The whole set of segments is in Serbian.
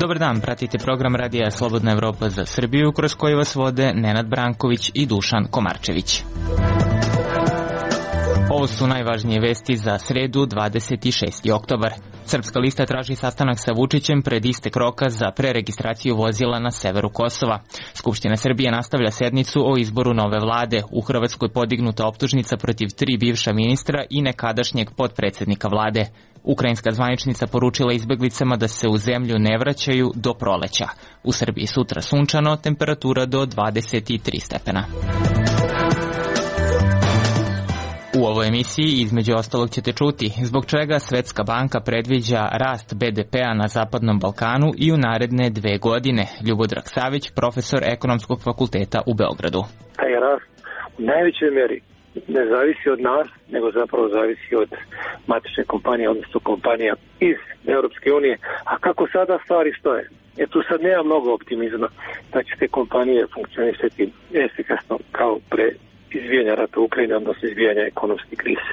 Dobar dan, pratite program Radija Slobodna Evropa za Srbiju, kroz koji vas vode Nenad Branković i Dušan Komarčević. Ovo su najvažnije vesti za sredu 26. oktobar. Srpska lista traži sastanak sa Vučićem pred istek roka za preregistraciju vozila na severu Kosova. Skupština Srbije nastavlja sednicu o izboru nove vlade. U Hrvatskoj podignuta optužnica protiv 3 bivša ministra i nekadašnjeg potpredsednika vlade. Ukrajinska zvaničnica poručila izbeglicama da se u zemlju ne vraćaju do proleća. U Srbiji sutra sunčano, temperatura do 23 stepena. U ovoj emisiji između ostalog ćete čuti zbog čega Svetska banka predviđa rast BDP-a na Zapadnom Balkanu i u naredne 2 godine. Ljubodrag Savić, profesor Ekonomskog fakulteta u Beogradu. Taj rast u najvećoj meri ne zavisi od nas, nego zapravo zavisi od matične kompanije, odnosno kompanija iz Europske unije. A kako sada stvari stoje? Tu sad nema mnogo optimizma da će te kompanije funkcionisati efikasno kao pre izbijanja rata u Ukrajini, odnosno izbijanja ekonomske krize.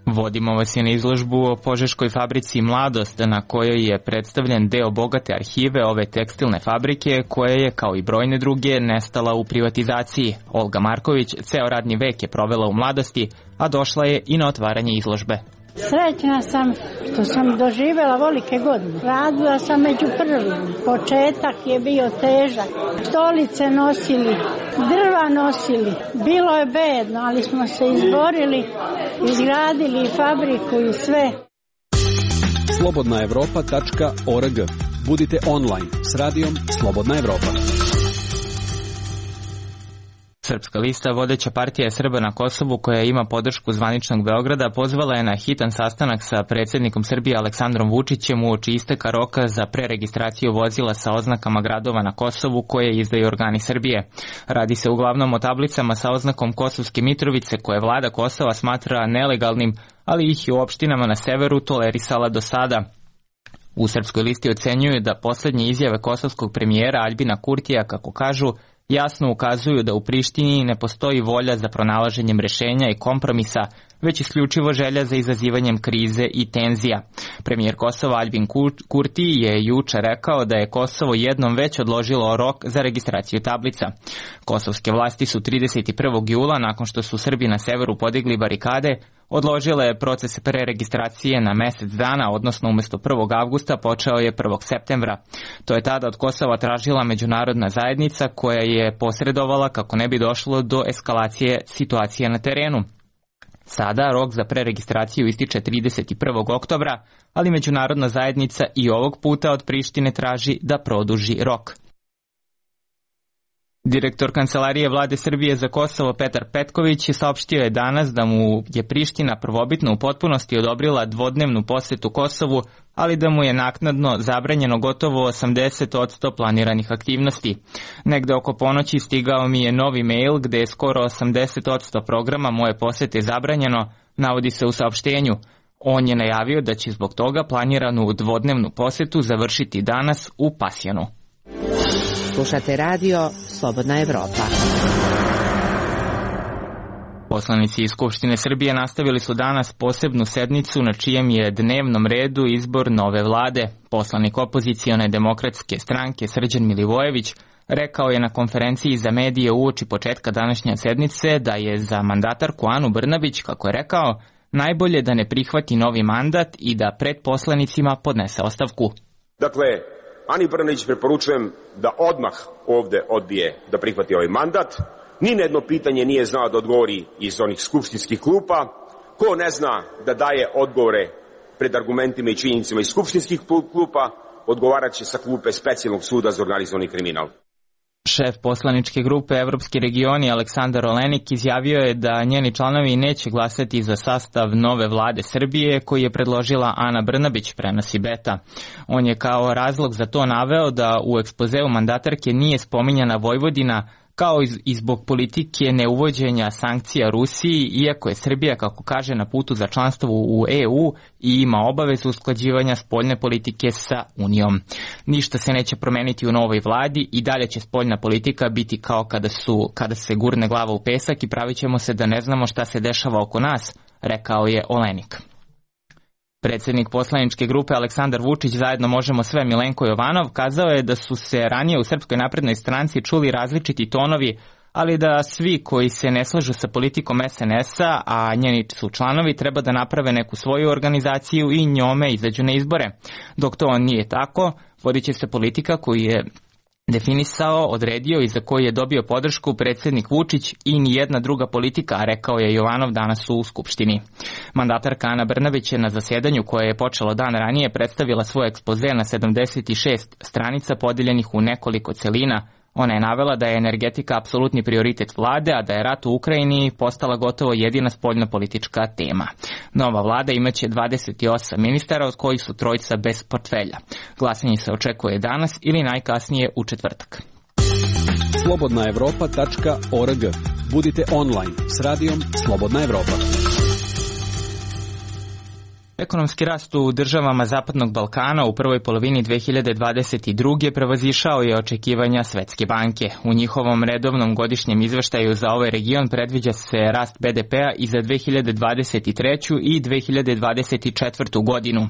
Vodimo vas i na izložbu o požeškoj fabrici Mladost, na kojoj je predstavljen deo bogate arhive ove tekstilne fabrike, koja je, kao i brojne druge, nestala u privatizaciji. Olga Marković ceo radni vek je provela u Mladosti, a došla je i na otvaranje izložbe. Srećna sam što sam doživjela velike godine. Radila sam među prvim. Početak je bio težak. Stolice nosili, drva nosili. Bilo je bedno, ali smo se izborili, izgradili fabriku i sve. Slobodnaevropa.org. Budite online s radijom Slobodna Evropa. Srpska lista, vodeća partija Srba na Kosovu koja ima podršku zvaničnog Beograda, pozvala je na hitan sastanak sa predsjednikom Srbije Aleksandrom Vučićem uoči isteka roka za preregistraciju vozila sa oznakama gradova na Kosovu koje izdaju organi Srbije. Radi se uglavnom o tablicama sa oznakom Kosovske Mitrovice koje vlada Kosova smatra nelegalnim, ali ih je u opštinama na severu tolerisala do sada. U Srpskoj listi ocenjuju da posljednje izjave kosovskog premijera Aljbina Kurtija, kako kažu, jasno ukazuju da u Prištini ne postoji volja za pronalaženjem rešenja i kompromisa, već isključivo želja za izazivanjem krize i tenzija. Premijer Kosova Aljbin Kurti je juče rekao da je Kosovo jednom već odložilo rok za registraciju tablica. Kosovske vlasti su 31. jula, nakon što su Srbi na severu podigli barikade, odložile proces preregistracije na mesec dana, odnosno umjesto 1. avgusta počeo je 1. septembra. To je tada od Kosova tražila međunarodna zajednica koja je posredovala kako ne bi došlo do eskalacije situacije na terenu. Sada rok za preregistraciju ističe 31. oktobra, ali međunarodna zajednica i ovog puta od Prištine traži da produži rok. Direktor Kancelarije vlade Srbije za Kosovo Petar Petković saopštio je danas da mu je Priština prvobitno u potpunosti odobrila dvodnevnu posetu Kosovu, ali da mu je naknadno zabranjeno gotovo 80% planiranih aktivnosti. Negde oko ponoći stigao mi je novi mail gde je skoro 80% programa moje posete zabranjeno, navodi se u saopštenju. On je najavio da će zbog toga planiranu dvodnevnu posetu završiti danas u Pasjanu. Slušate radio Slobodna Evropa. Poslanici iz Skupštine Srbije nastavili su danas posebnu sednicu na čijem je dnevnom redu izbor nove vlade. Poslanik opozicione demokratske stranke Srđan Milivojević rekao je na konferenciji za medije uoči početka današnje sednice da je za mandatarku Anu Brnabić, kako je rekao, najbolje da ne prihvati novi mandat i da pred poslanicima podnese ostavku. Dakle, Ani Brnabić preporučujem da odmah ovde odbije da prihvati ovaj mandat. Ni na jedno pitanje nije znao da odgovori iz onih skupštinskih klupa. Ko ne zna da daje odgovore pred argumentima i činjenicama iz skupštinskih klupa, odgovarat će sa klupe specijalnog suda za organizovani kriminal. Šef poslaničke grupe Evropski regioni Aleksandar Olenik izjavio je da njeni članovi neće glasati za sastav nove vlade Srbije koji je predložila Ana Brnabić, prenosi Beta. On je kao razlog za to naveo da u ekspozeu mandatarke nije spominjana Vojvodina kao i zbog politike neuvođenja sankcija Rusiji, iako je Srbija, kako kaže, na putu za članstvo u EU i ima obavezu usklađivanja spoljne politike sa Unijom. Ništa se neće promeniti u novoj vladi i dalje će spoljna politika biti kao kada se gurne glava u pesak i pravit ćemo se da ne znamo šta se dešava oko nas, rekao je Olenik. Predsjednik poslaničke grupe Aleksandar Vučić zajedno možemo sve Milenko Jovanov kazao je da su se ranije u Srpskoj naprednoj stranci čuli različiti tonovi, ali da svi koji se ne slažu sa politikom SNS-a, a njeni su članovi, treba da naprave neku svoju organizaciju i njome izađu na izbore. Dok to nije tako, vodit će se politika koju je definisao, odredio i za koju je dobio podršku predsjednik Vučić i nijedna druga politika, rekao je Jovanov danas u Skupštini. Mandatarka Ana Brnabić je na zasjedanju koje je počelo dan ranije predstavila svoj ekspoze na 76 stranica podijeljenih u nekoliko celina. Ona je navela da je energetika apsolutni prioritet vlade, a da je rat u Ukrajini postala gotovo jedina spoljnopolitička tema. Nova vlada imaće 28 ministara, od kojih su trojica bez portfelja. Glasanje se očekuje danas ili najkasnije u četvrtak. Slobodnaevropa.org. Budite online s radijom Slobodna Evropa. Ekonomski rast u državama Zapadnog Balkana u prvoj polovini 2022. prevazišao je očekivanja Svetske banke. U njihovom redovnom godišnjem izveštaju za ovaj region predviđa se rast BDP-a i za 2023. i 2024. godinu.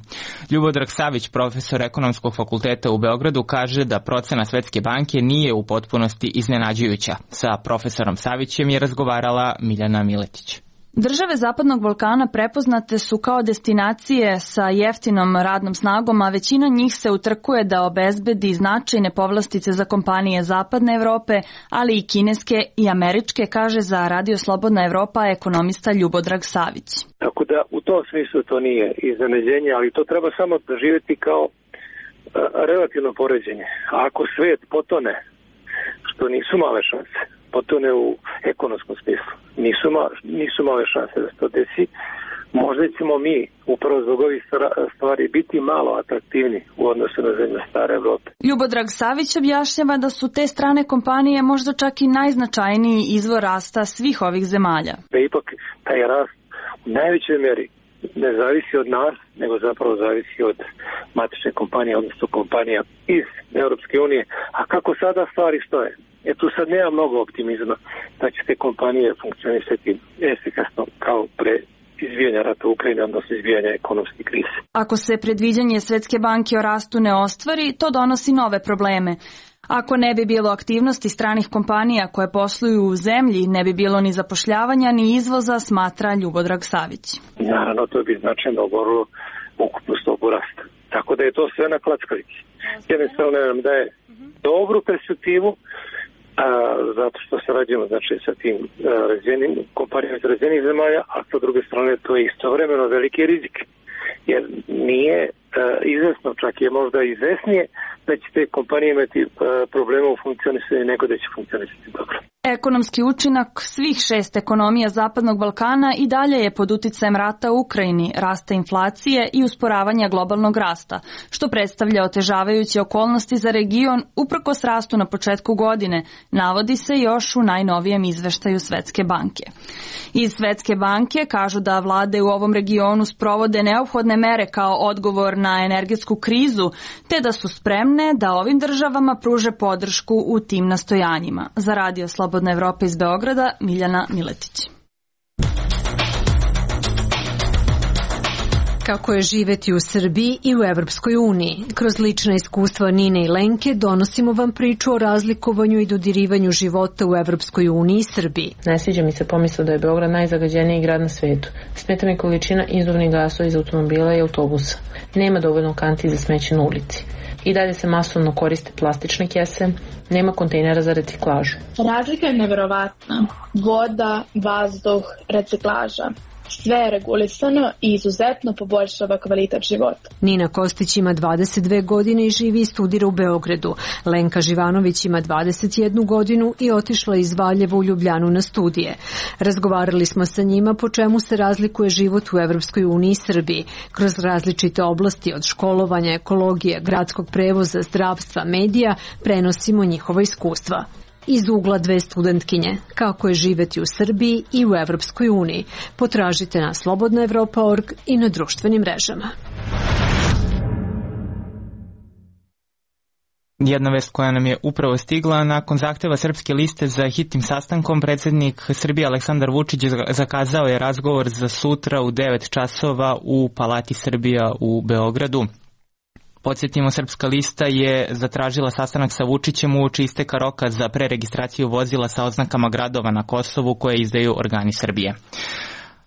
Ljubodrag Savić, profesor Ekonomskog fakulteta u Beogradu, kaže da procena Svetske banke nije u potpunosti iznenađujuća. Sa profesorom Savićem je razgovarala Miljana Miletić. Države Zapadnog Balkana prepoznate su kao destinacije sa jeftinom radnom snagom, a većina njih se utrkuje da obezbedi značajne povlastice za kompanije Zapadne Evrope, ali i kineske i američke, kaže za Radio Slobodna Evropa ekonomista Ljubodrag Savić. Tako da u tom smislu to nije iznenađenje, ali to treba samo doživjeti kao relativno poređenje. A ako svijet potone, što nisu male šanse, potone u ekonomskom smislu, nisu male šanse da se to desi, možda ćemo mi upravo zbog ovih stvari biti malo atraktivni u odnosu na zemlje stare Evrope. Ljubodrag Savić objašnjava da su te strane kompanije možda čak i najznačajniji izvor rasta svih ovih zemalja. Da ipak taj rast u najvećoj mjeri ne zavisi od nas, nego zapravo zavisi od matične kompanije, odnosno kompanija iz Europske unije. A kako sada stvari stoje? Tu sad nema mnogo optimizma da će te kompanije funkcionisati efikasno kao pre izbijanja rata u Ukrajini, odnosno izbijanja ekonomske krize. Ako se predviđanje Svetske banke o rastu ne ostvari, to donosi nove probleme. Ako ne bi bilo aktivnosti stranih kompanija koje posluju u zemlji, ne bi bilo ni zapošljavanja ni izvoza, smatra Ljubodrag Savić. Naravno, to bi značajno oborilo ukupnu stopu rasta. Tako da je to sve na klackavici. Jednostavno nam daje dobru perspektivu, zato što se rađujemo sa tim kompanijama iz razvijenih zemalja, a sa druge strane to je istovremeno veliki rizik. Jer nije izvesno, čak je možda izvesnije da će te kompanije imati problema u funkcionisanju nego da će funkcionisati dobro. Ekonomski učinak svih 6 ekonomija Zapadnog Balkana i dalje je pod uticajem rata u Ukrajini, rasta inflacije i usporavanja globalnog rasta, što predstavlja otežavajuće okolnosti za region uprkos rastu na početku godine, navodi se još u najnovijem izveštaju Svetske banke. Iz Svetske banke kažu da vlade u ovom regionu sprovode neophodne mere kao odgovor na energetsku krizu, te da su spremne da ovim državama pruže podršku u tim nastojanjima. Za Radio Slobodna Evropa iz Beograda, Miljana Miletić. Kako je živeti u Srbiji i u Evropskoj uniji. Kroz lična iskustva Nine i Lenke donosimo vam priču o razlikovanju i dodirivanju života u Evropskoj uniji i Srbiji. Ne sviđa mi se pomisao da je Beograd najzagađeniji grad na svetu. Smeta mi količina izduvnih gasova iz automobila i autobusa. Nema dovoljno kanti za smeće na ulici. I dalje se masovno koriste plastične kese, nema kontejnera za reciklažu. Razlika je neverovatna. Voda, vazduh, reciklaža. Sve je regulisano i izuzetno poboljšava kvalitet života. Nina Kostić ima 22 godine i živi i studira u Beogradu. Lenka Živanović ima 21 godinu i otišla iz Valjeva u Ljubljanu na studije. Razgovarali smo sa njima po čemu se razlikuje život u Evropskoj uniji i Srbiji. Kroz različite oblasti od školovanja, ekologije, gradskog prevoza, zdravstva, medija prenosimo njihova iskustva. Iz ugla dve studentkinje, kako je živeti u Srbiji i u Evropskoj uniji. Potražite na slobodnaevropa.org i na društvenim mrežama. Jedna vest koja nam je upravo stigla: nakon zahteva Srpske liste za hitnim sastankom, predsjednik Srbije Aleksandar Vučić zakazao je razgovor za sutra u 9 časova u Palati Srbija u Beogradu. Podsjetimo, Srpska lista je zatražila sastanak sa Vučićem uoči isteka roka za preregistraciju vozila sa oznakama gradova na Kosovu koje izdaju organi Srbije.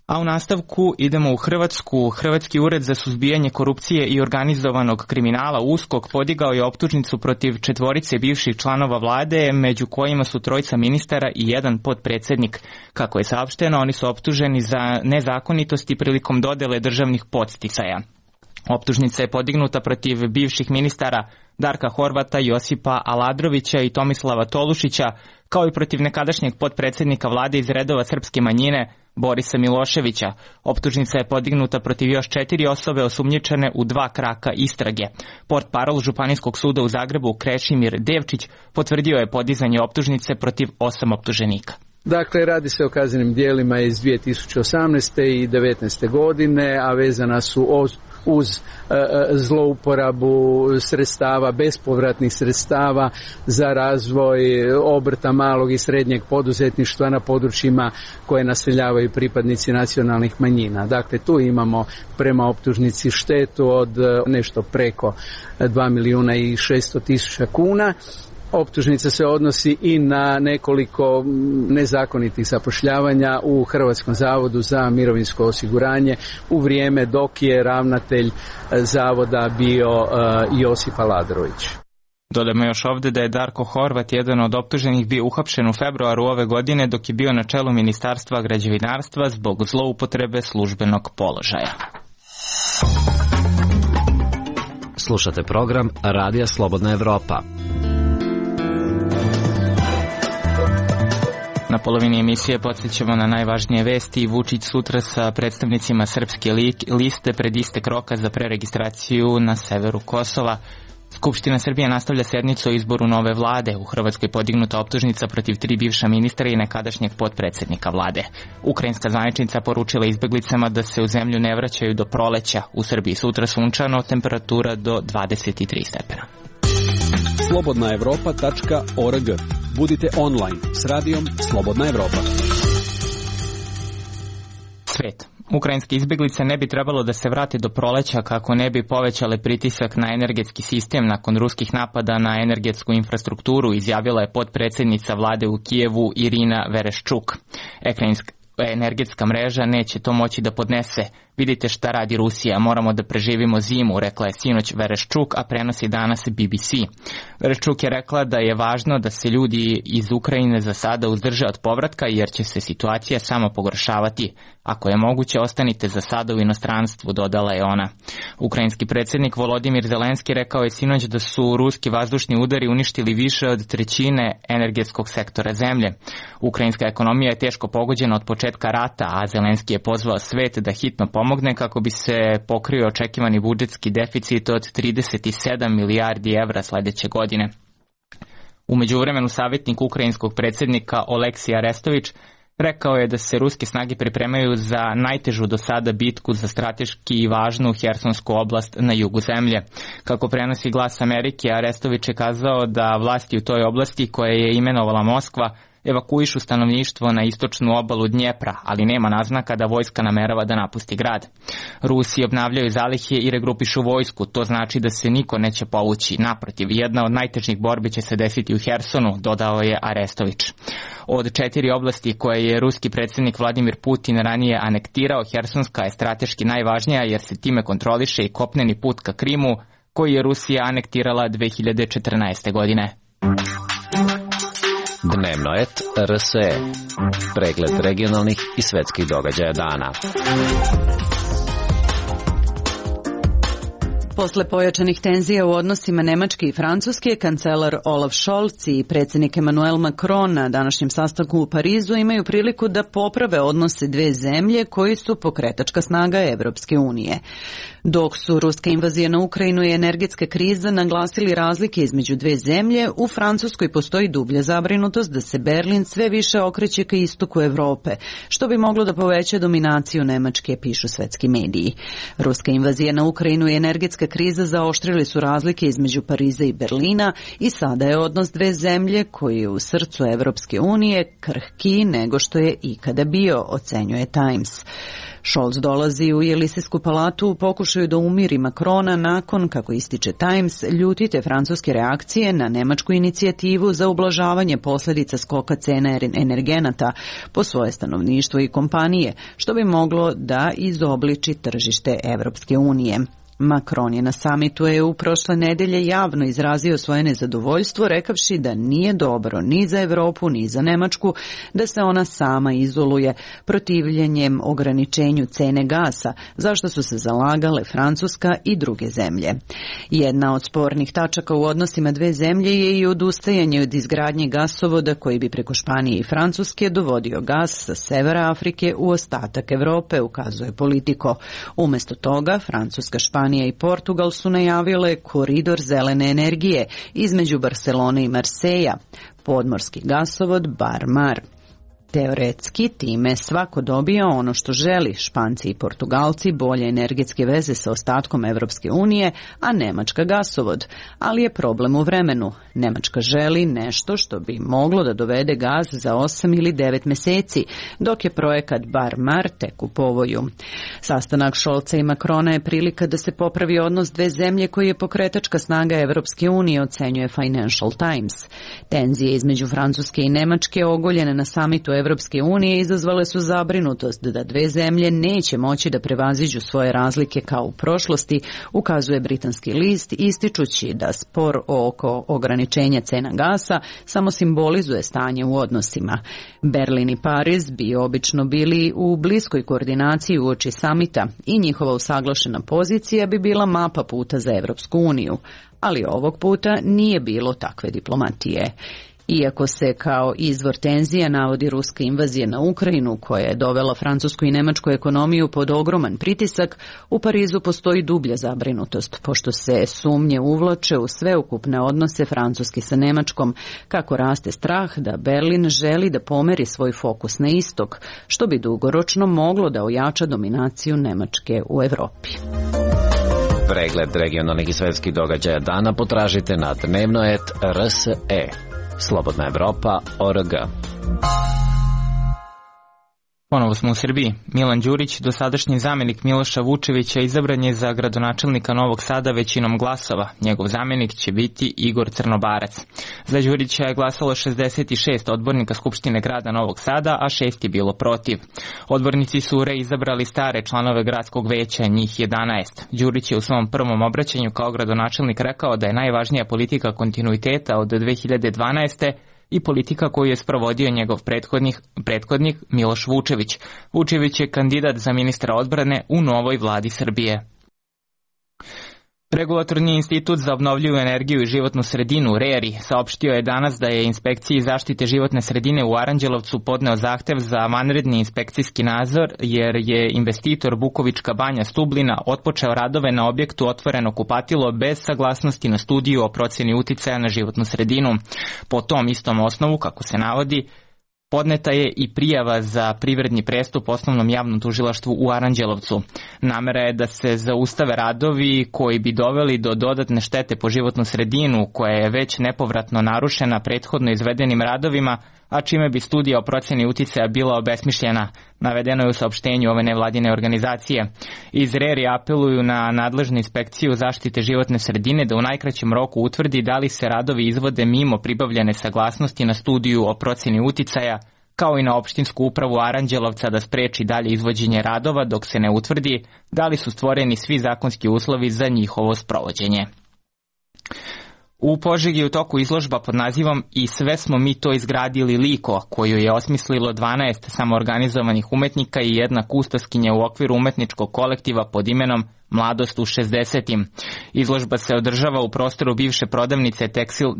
A u nastavku idemo u Hrvatsku. Hrvatski ured za suzbijanje korupcije i organizovanog kriminala USKOK podigao je optužnicu protiv 4 bivših članova vlade, među kojima su 3 ministara i 1 potpredsjednik. Kako je saopšteno, oni su optuženi za nezakonitosti prilikom dodele državnih podsticaja. Optužnica je podignuta protiv bivših ministara Darka Horvata, Josipa Aladrovića i Tomislava Tolušića, kao i protiv nekadašnjeg potpredsjednika vlade iz redova srpske manjine Borisa Miloševića. Optužnica je podignuta protiv još 4 osobe osumnjičene u 2 kraka istrage. Portparol Županijskog suda u Zagrebu Krešimir Devčić potvrdio je podizanje optužnice protiv 8 optuženika. Dakle, radi se o kaznenim djelima iz 2018. i 2019. godine, a vezana su uz zlouporabu sredstava, bespovratnih sredstava za razvoj obrta malog i srednjeg poduzetništva na područjima koje naseljavaju pripadnici nacionalnih manjina. Dakle, tu imamo prema optužnici štetu od nešto preko 2.600.000 kuna. Optužnica se odnosi i na nekoliko nezakonitih zapošljavanja u Hrvatskom zavodu za mirovinsko osiguranje u vrijeme dok je ravnatelj zavoda bio Josip Aladrović. Dodajmo još ovdje da je Darko Horvat, jedan od optuženih, bio uhapšen u februaru ove godine dok je bio na čelu Ministarstva građevinarstva zbog zloupotrebe službenog položaja. Slušate program Radija Slobodna Evropa. Na polovini emisije podsjećamo na najvažnije vesti. Vučić sutra sa predstavnicima Srpske liste pred istek roka za preregistraciju na severu Kosova. Skupština Srbije nastavlja sednicu o izboru nove vlade. U Hrvatskoj podignuta optužnica protiv 3 bivša ministra i nekadašnjeg potpredsjednika vlade. Ukrajinska zvaničnica poručila izbeglicama da se u zemlju ne vraćaju do proleća. U Srbiji sutra sunčano, temperatura do 23 stepena. slobodnaevropa.org. Budite online s radijom Slobodna Evropa. Svet. Ukrajinske izbjeglice ne bi trebalo da se vrate do proleća kako ne bi povećale pritisak na energetski sistem nakon ruskih napada na energetsku infrastrukturu, izjavila je potpredsjednica vlade u Kijevu Irina Vereščuk. Energetska mreža neće to moći da podnese. Vidite šta radi Rusija, moramo da preživimo zimu, rekla je sinoć Vereščuk, a prenosi danas BBC. Vereščuk je rekla da je važno da se ljudi iz Ukrajine za sada uzdrže od povratka jer će se situacija samo pogoršavati. Ako je moguće, ostanite za sada u inostranstvu, dodala je ona. Ukrajinski predsjednik Volodimir Zelenski rekao je sinoć da su ruski vazdušni udari uništili više od 1/3 energetskog sektora zemlje. Ukrajinska ekonomija je teško pogođena od početka rata, a Zelenski je pozvao svet da hitno pomogne kako bi se pokrio očekivani budžetski deficit od 37 milijardi evra sljedeće godine. U međuvremenu savjetnik ukrajinskog predsjednika Oleksij Arestović rekao je da se ruske snage pripremaju za najtežu do sada bitku za strateški važnu Hersonsku oblast na jugu zemlje. Kako prenosi Glas Amerike, Arestović je kazao da vlasti u toj oblasti koje je imenovala Moskva evakuišu stanovništvo na istočnu obalu Dnjepra, ali nema naznaka da vojska namerava da napusti grad. Rusi obnavljaju zalihe i regrupišu vojsku, to znači da se niko neće povući. Naprotiv, jedna od najtežih borbi će se desiti u Hersonu, dodao je Arestović. Od 4 oblasti koje je ruski predsjednik Vladimir Putin ranije anektirao, Hersonska je strateški najvažnija jer se time kontroliše i kopneni put ka Krimu, koji je Rusija anektirala 2014. godine. Dnevno et RSE. Pregled regionalnih i svetskih događaja dana. Posle pojačanih tenzija u odnosima Nemačke i Francuske, kancelar Olaf Scholz i predsjednik Emmanuel Macron na današnjem sastanku u Parizu imaju priliku da poprave odnose dve zemlje koji su pokretačka snaga Evropske unije. Dok su ruska invazija na Ukrajinu i energetska kriza naglasili razlike između dve zemlje, u Francuskoj postoji dublja zabrinutost da se Berlin sve više okreće ka istoku Evrope, što bi moglo da poveća dominaciju Nemačke, pišu svetski mediji. Ruska invazija na Ukrajinu i energetska kriza zaoštrili su razlike između Pariza i Berlina i sada je odnos dve zemlje koji je u srcu Evropske unije krhkiji nego što je ikada bio, ocenjuje Times. Scholz dolazi u Jelisejsku palatu u pokušaju da umiri Macrona nakon, kako ističe Times, ljutite francuske reakcije na nemačku inicijativu za ublažavanje posljedica skoka cena energenata po svoje stanovništvo i kompanije, što bi moglo da izobliči tržište Evropske unije. Macron je na samitu EU prošle nedelje javno izrazio svoje nezadovoljstvo, rekavši da nije dobro ni za Evropu ni za Nemačku da se ona sama izoluje protivljenjem ograničenju cene gasa, zašto su se zalagale Francuska i druge zemlje. Jedna od spornih tačaka u odnosima dve zemlje je i odustajanje od izgradnje gasovoda koji bi preko Španije i Francuske dovodio gas sa severa Afrike u ostatak Evrope, ukazuje Politico. Umesto toga, Francuska, Španija i Portugal su najavile koridor zelene energije između Barcelone i Marseja, podmorski gasovod Bar-Mar. Teoretski time svako dobija ono što želi, Španci i Portugalci bolje energetske veze sa ostatkom Evropske unije, a Nemačka gasovod. Ali je problem u vremenu. Nemačka želi nešto što bi moglo da dovede gas za 8 ili 9 meseci, dok je projekat Bar-Mar tek u povoju. Sastanak Scholza i Macrona je prilika da se popravi odnos dve zemlje koji je pokretačka snaga Evropske unije, ocenjuje Financial Times. Tenzije između Francuske i Nemačke ogoljene na samitu Evropske unije izazvale su zabrinutost da dve zemlje neće moći da prevaziđu svoje razlike kao u prošlosti, ukazuje britanski list, ističući da spor oko ograničenja cena gasa samo simbolizuje stanje u odnosima. Berlin i Pariz bi obično bili u bliskoj koordinaciji uoči samita i njihova usaglašena pozicija bi bila mapa puta za Evropsku uniju, ali ovog puta nije bilo takve diplomatije. Iako se kao izvor tenzija navodi ruska invazija na Ukrajinu, koja je dovela francusku i nemačku ekonomiju pod ogroman pritisak, u Parizu postoji dublja zabrinutost, pošto se sumnje uvlače u sveukupne odnose Francuske sa Nemačkom, kako raste strah da Berlin želi da pomeri svoj fokus na istok, što bi dugoročno moglo da ojača dominaciju Nemačke u Evropi. Pregled regionalnih i svetskih događaja dana potražite na dnevnoet.rse. Slobodna Evropa.org. Ponovo smo u Srbiji. Milan Đurić, dosadašnji zamjenik Miloša Vučevića, izabran je za gradonačelnika Novog Sada većinom glasova. Njegov zamjenik će biti Igor Crnobarac. Za Đurića je glasalo 66 odbornika Skupštine grada Novog Sada, a 6 je bilo protiv. Odbornici su reizabrali stare članove gradskog veća, njih 11. Đurić je u svom prvom obraćanju kao gradonačelnik rekao da je najvažnija politika kontinuiteta od 2012. i politika koju je sprovodio njegov prethodnik Miloš Vučević. Vučević je kandidat za ministra odbrane u novoj vladi Srbije. Regulatorni institut za obnovljivu energiju i životnu sredinu, RERI, saopštio je danas da je inspekciji zaštite životne sredine u Aranđelovcu podneo zahtev za vanredni inspekcijski nadzor, jer je investitor Bukovička banja Stublina otpočeo radove na objektu Otvoreno kupatilo bez saglasnosti na studiju o procjeni uticaja na životnu sredinu. Po tom istom osnovu, kako se navodi, podneta je i prijava za privredni prestup Osnovnom javnom tužilaštvu u Aranđelovcu. Namera je da se zaustave radovi koji bi doveli do dodatne štete po životnu sredinu, koja je već nepovratno narušena prethodno izvedenim radovima, a čime bi studija o procjeni uticaja bila obesmišljena, navedeno je u saopštenju ove nevladine organizacije. Iz RERI apeluju na nadležnu inspekciju zaštite životne sredine da u najkraćem roku utvrdi da li se radovi izvode mimo pribavljene saglasnosti na studiju o procjeni uticaja, kao i na opštinsku upravu Aranđelovca da spreči dalje izvođenje radova dok se ne utvrdi da li su stvoreni svi zakonski uslovi za njihovo sprovođenje. U Požegi je u toku izložba pod nazivom I sve smo mi to izgradili liko, koju je osmislilo 12 samoorganizovanih umetnika i jedna kustoskinja u okviru umetničkog kolektiva pod imenom Mladost u 60. Izložba se održava u prostoru bivše prodavnice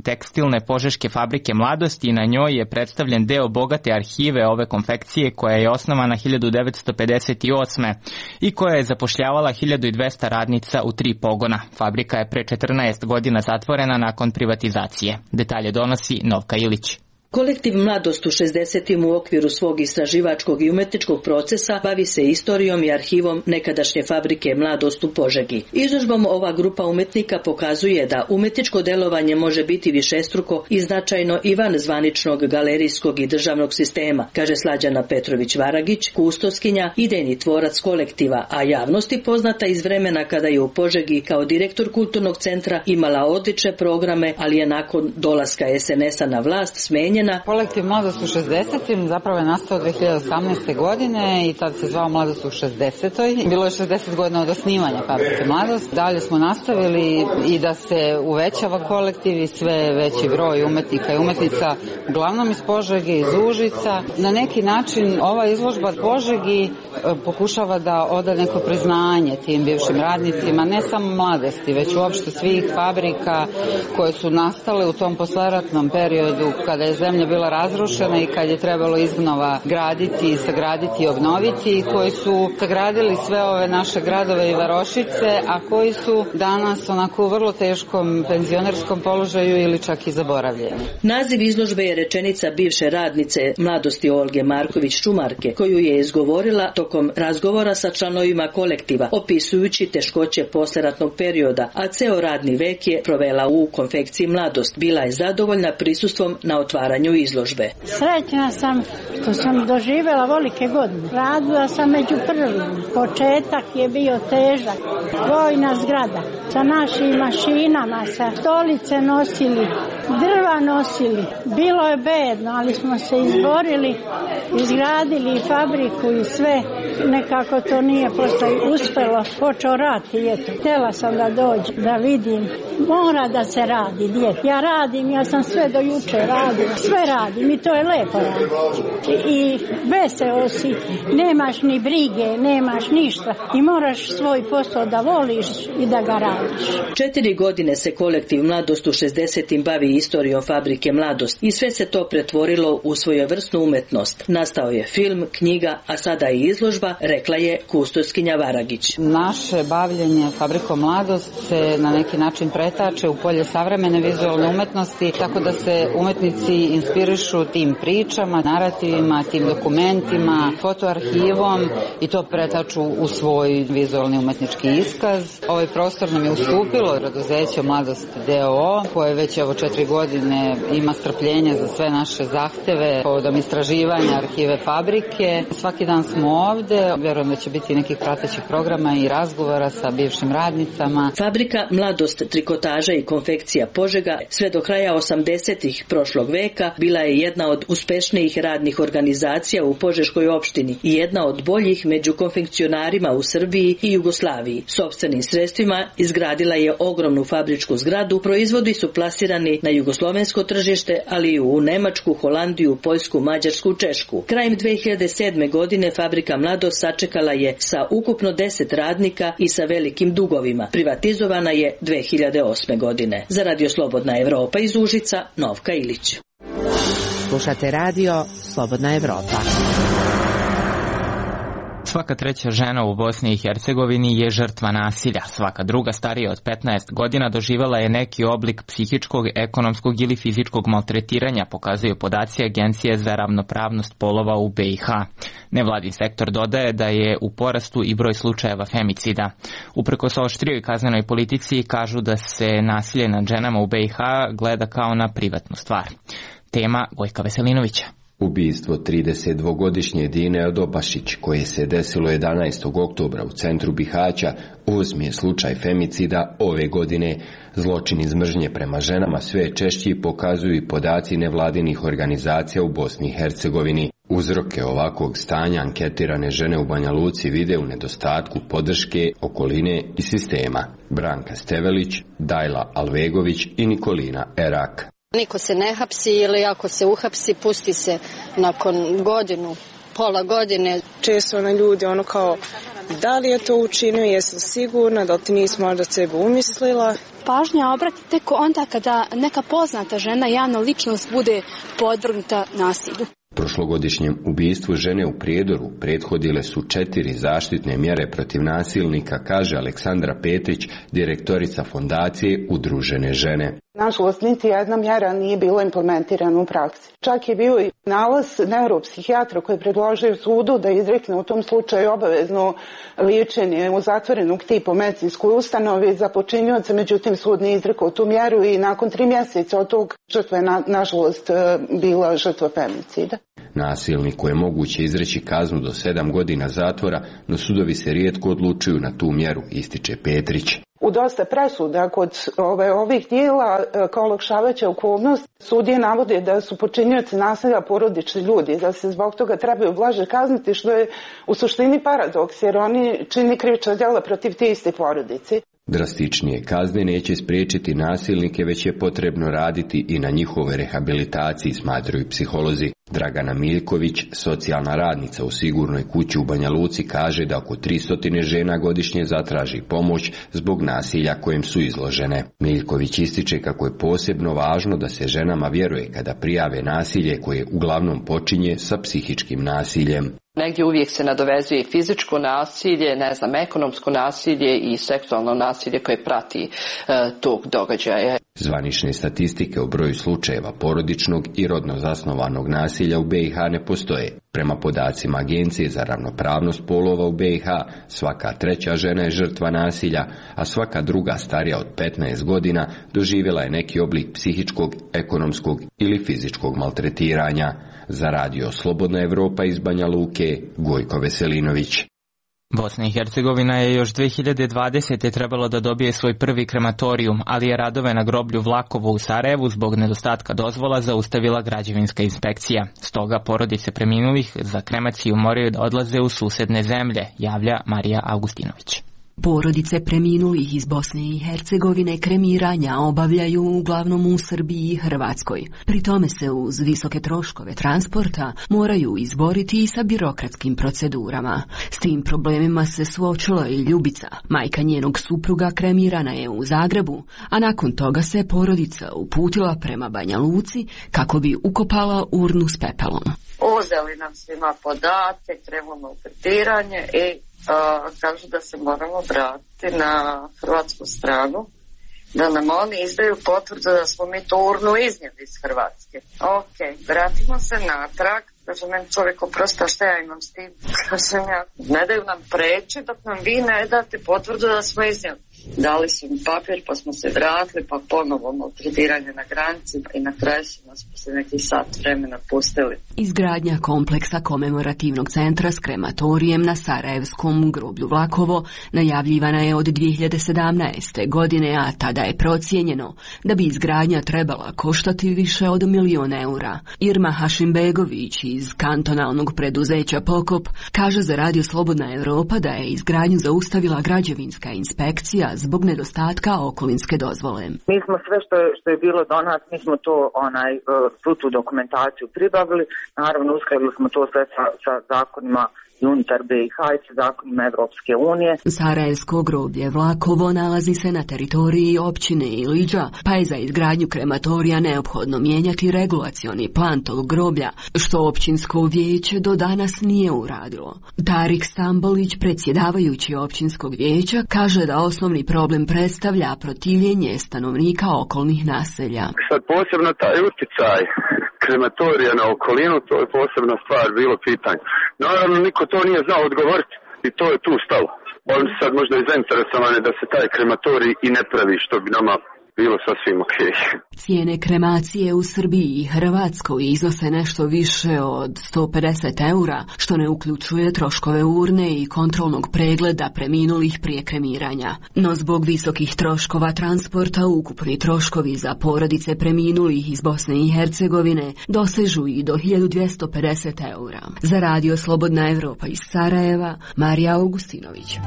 tekstilne požeške fabrike Mladost i na njoj je predstavljen deo bogate arhive ove konfekcije koja je osnovana 1958. i koja je zapošljavala 1200 radnica u 3 pogona. Fabrika je pre 14 godina zatvorena nakon privatizacije. Detalje donosi Novka Ilić. Kolektiv Mladost u 60. u okviru svog istraživačkog i umetničkog procesa bavi se istorijom i arhivom nekadašnje fabrike Mladost u Požegi. Izložbom ova grupa umetnika pokazuje da umetničko delovanje može biti višestruko i značajno i van zvaničnog galerijskog i državnog sistema, kaže Slađana Petrović-Varagić, kustoskinja, idejni tvorac kolektiva, a javnosti poznata iz vremena kada je u Požegi kao direktor kulturnog centra imala odlične programe, ali je nakon dolaska SNS-a na vlast smenjena. Kolektiv Mladost u 60. zapravo je nastao 2018. godine i tad se zvao Mladost u 60. Bilo je 60 godina od osnivanja fabrike Mladost. Dalje smo nastavili i da se uvećava kolektiv i sve veći broj umetnika i umetnica, uglavnom iz Požege, iz Užica. Na neki način ova izložba Požegi pokušava da oda neko priznanje tim bivšim radnicima, ne samo Mladosti, već uopšte svih fabrika koje su nastale u tom posleratnom periodu kada je zemlja bila razrušena i kad je trebalo iznova graditi, sagraditi i obnoviti, koji su sagradili sve ove naše gradove i varošice, a koji su danas onako u vrlo teškom penzionerskom položaju ili čak i zaboravljeni. Naziv izložbe je rečenica bivše radnice Mladosti Olge Marković-Šumarke, koju je izgovorila tokom razgovora sa članovima kolektiva, opisujući teškoće posleratnog perioda, a ceo radni vek je provela u konfekciji Mladost. Bila je zadovoljna prisustvom na otvaranju izložbe. Srećna sam što sam doživjela velike godine. Radila sam među prvim. Početak je bio težak. Vojna zgrada. Sa našim mašinama, sa stolice nosili, drva nosili. Bilo je bedno, ali smo se izborili, izgradili fabriku i sve. Nekako to nije posle uspelo. Počeo rat i eto. Htjela sam da dođem, da vidim. Mora da se radi, djete. Ja radim, ja sam sve do juče radila. Sve radim i to je lepo raditi. I veseo si, nemaš ni brige, nemaš ništa i moraš svoj posao da voliš i da ga radiš. 4 godine se kolektiv Mladost u 60. bavi istorijom fabrike Mladost i sve se to pretvorilo u svojevrsnu umetnost. Nastao je film, knjiga, a sada i izložba, rekla je kustoskinja Varagić. Naše bavljenje fabrikom Mladost se na neki način pretače u polje savremene vizualne umetnosti, tako da se umetnici inspirišu tim pričama, narativima, tim dokumentima, fotoarhivom i to pretaču u svoj vizualni umetnički iskaz. Ovaj prostor nam je ustupilo preduzeće Mladost d.o.o. koje već 4 godine ima strpljenja za sve naše zahteve povodom istraživanja arhive fabrike. Svaki dan smo ovde, vjerujem da će biti nekih pratećih programa i razgovora sa bivšim radnicama. Fabrika Mladost, trikotaža i konfekcija Požega sve do kraja 80-ih prošlog veka bila je jedna od uspešnijih radnih organizacija u Požeškoj opštini i jedna od boljih među konfekcionarima u Srbiji i Jugoslaviji. Sopstvenim sredstvima izgradila je ogromnu fabričku zgradu, proizvodi su plasirani na jugoslovensko tržište, ali i u Nemačku, Holandiju, Poljsku, Mađarsku, Češku. Krajem 2007. godine fabrika Mladost sačekala je sa ukupno 10 radnika i sa velikim dugovima. Privatizovana je 2008. godine. Za Radio Slobodna Evropa iz Užica, Novka Ilić. Slušate radio Slobodna Evropa. Svaka treća žena u Bosni i Hercegovini je žrtva nasilja. Svaka druga starija od 15 godina doživjela je neki oblik psihičkog, ekonomskog ili fizičkog maltretiranja, pokazuju podaci Agencije za ravnopravnost polova u BiH. Nevladin sektor dodaje da je u porastu i broj slučajeva femicida. Uprkos oštrijoj kaznenoj politici kažu da se nasilje nad ženama u BiH gleda kao na privatnu stvar. Tema Gojka Veselinovića. Ubistvo 32-godišnje Dine Odobašić, koje se desilo 11. oktobra u centru Bihaća, 8. slučaj femicida ove godine. Zločin iz mržnje prema ženama sve češći pokazuju i podaci nevladinih organizacija u Bosni i Hercegovini. Uzroke ovakvog stanja anketirane žene u Banja Luci vide u nedostatku podrške, okoline i sistema. Branka Stevelić, Dajla Alvegović i Nikolina Erak. Niko se ne hapsi ili ako se uhapsi, pusti se nakon godinu, pola godine. Često ljudi kao da li je to učinio, jesam sigurna, da li ti nisi možda sebe umislila. Pažnja obrati tek onda kada neka poznata žena, javna ličnost, bude podvrgnuta nasilju. Prošlogodišnjem ubistvu žene u Prijedoru prethodile su 4 zaštitne mjere protiv nasilnika, kaže Aleksandra Petrić, direktorica fondacije Udružene žene. Nažalost, niti jedna mjera nije bila implementirana u praksi. Čak je bio i nalaz neuropsihijatra koji je predložio sudu da izrekne u tom slučaju obavezno liječenje u zatvorenog tipa medicinskoj ustanovi za počinioca, međutim sud nije izrekao tu mjeru i nakon 3 mjeseca od tog žrtva je nažalost bila žrtva femicida. Nasilniku je moguće izreći kaznu do 7 godina zatvora, no sudovi se rijetko odlučuju na tu mjeru, ističe Petrić. U dosta presuda kod ovih dijela kao olakšavajuća okolnost sudije navode da su počinioci nasilja porodični ljudi, da se zbog toga trebaju blaže kazniti, što je u suštini paradoks jer oni čini krivična djela protiv te iste porodice. Drastičnije kazne neće spriječiti nasilnike, već je potrebno raditi i na njihovoj rehabilitaciji, smatraju psiholozi. Dragana Miljković, socijalna radnica u Sigurnoj kući u Banja Luci, kaže da oko 300 žena godišnje zatraži pomoć zbog nasilja kojem su izložene. Miljković ističe kako je posebno važno da se ženama vjeruje kada prijave nasilje koje uglavnom počinje sa psihičkim nasiljem. Negdje uvijek se nadovezuje fizičko nasilje, ekonomsko nasilje i seksualno nasilje koje prati tog događaja. Zvanične statistike o broju slučajeva porodičnog i rodno zasnovanog nasilja u BiH ne postoje. Prema podacima Agencije za ravnopravnost polova u BiH, svaka 3. žena je žrtva nasilja, a svaka druga starija od 15 godina doživjela je neki oblik psihičkog, ekonomskog ili fizičkog maltretiranja. Za radio Slobodna Evropa iz Banja Luke, Gojko Veselinović. Bosna i Hercegovina je još 2020. trebalo da dobije svoj prvi krematorijum, ali je radove na groblju Vlakovo u Sarajevu zbog nedostatka dozvola zaustavila građevinska inspekcija. Stoga porodice preminulih za kremaciju moraju da odlaze u susedne zemlje, javlja Marija Augustinović. Porodice preminulih iz Bosne i Hercegovine kremiranja obavljaju uglavnom u Srbiji i Hrvatskoj. Pri tome se uz visoke troškove transporta moraju izboriti i sa birokratskim procedurama. S tim problemima se suočila i Ljubica. Majka njenog supruga kremirana je u Zagrebu, a nakon toga se porodica uputila prema Banja Luci kako bi ukopala urnu s pepelom. Uzeli nam svima podatke, krenemo u tretiranje i kažu da se moramo vratiti na hrvatsku stranu, da nam oni izdaju potvrdu da smo mi to urnu iznijeli iz Hrvatske. Ok, vratimo se natrag, kaže meni čovjek oprosta, šta ja imam s tim? Kažem ja, ne daju nam preći dok nam vi ne date potvrdu da smo iznijeli. Dali su mi papir, pa smo se vratili, pa ponovo maltretiranje na granici i na kraju su nas poslije nekih sat vremena pustili. Izgradnja kompleksa komemorativnog centra s krematorijem na Sarajevskom groblju Vlakovo najavljivana je od 2017. godine, a tada je procijenjeno da bi izgradnja trebala koštati više od €1.000.000 eura. Irma Hašimbegović iz kantonalnog preduzeća Pokop kaže za radio Slobodna Evropa da je izgradnju zaustavila građevinska inspekcija zbog nedostatka okolinske dozvole. Mi smo sve što je bilo do nas, mi smo to svu tu dokumentaciju pribavili, naravno uskladili smo to sve sa zakonima i unutar BiH i sa zakonima Evropske unije. Sarajevsko groblje Vlakovo nalazi se na teritoriji općine Iliđa, pa je za izgradnju krematorija neophodno mijenjati regulacioni plan tog groblja, što općinsko vijeće do danas nije uradilo. Tarik Stambolić, predsjedavajući općinskog vijeća, kaže da osnovni problem predstavlja protivljenje stanovnika okolnih naselja. Sad posebno taj utjecaj krematorija na okolinu, to je posebna stvar, bilo pitanje. Naravno, niko to nije znao odgovoriti i to je tu stalo. Oni su sad možda i zainteresovani da se taj krematorij i ne pravi, što bi nama bilo sasvim ok. Cijene kremacije u Srbiji i Hrvatskoj iznose nešto više od 150 eura, što ne uključuje troškove urne i kontrolnog pregleda preminulih prije kremiranja. No zbog visokih troškova transporta ukupni troškovi za porodice preminulih iz Bosne i Hercegovine dosežu i do 1250 eura. Za radio Slobodna Evropa iz Sarajeva, Marija Augustinović.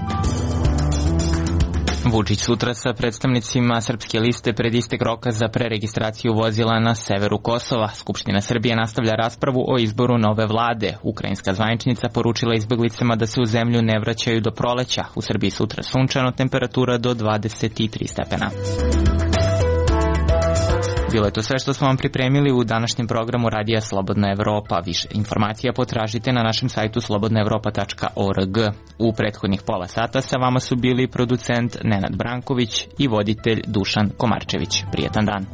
Vučić sutra sa predstavnicima Srpske liste pred istek roka za preregistraciju vozila na severu Kosova. Skupština Srbije nastavlja raspravu o izboru nove vlade. Ukrajinska zvaničnica poručila izbeglicama da se u zemlju ne vraćaju do proleća. U Srbiji sutra sunčano, temperatura do 23 stepena. Bilo je to sve što smo vam pripremili u današnjem programu Radija Slobodna Evropa. Više informacija potražite na našem sajtu slobodnaevropa.org. U prethodnih pola sata sa vama su bili producent Nenad Branković i voditelj Dušan Komarčević. Prijetan dan.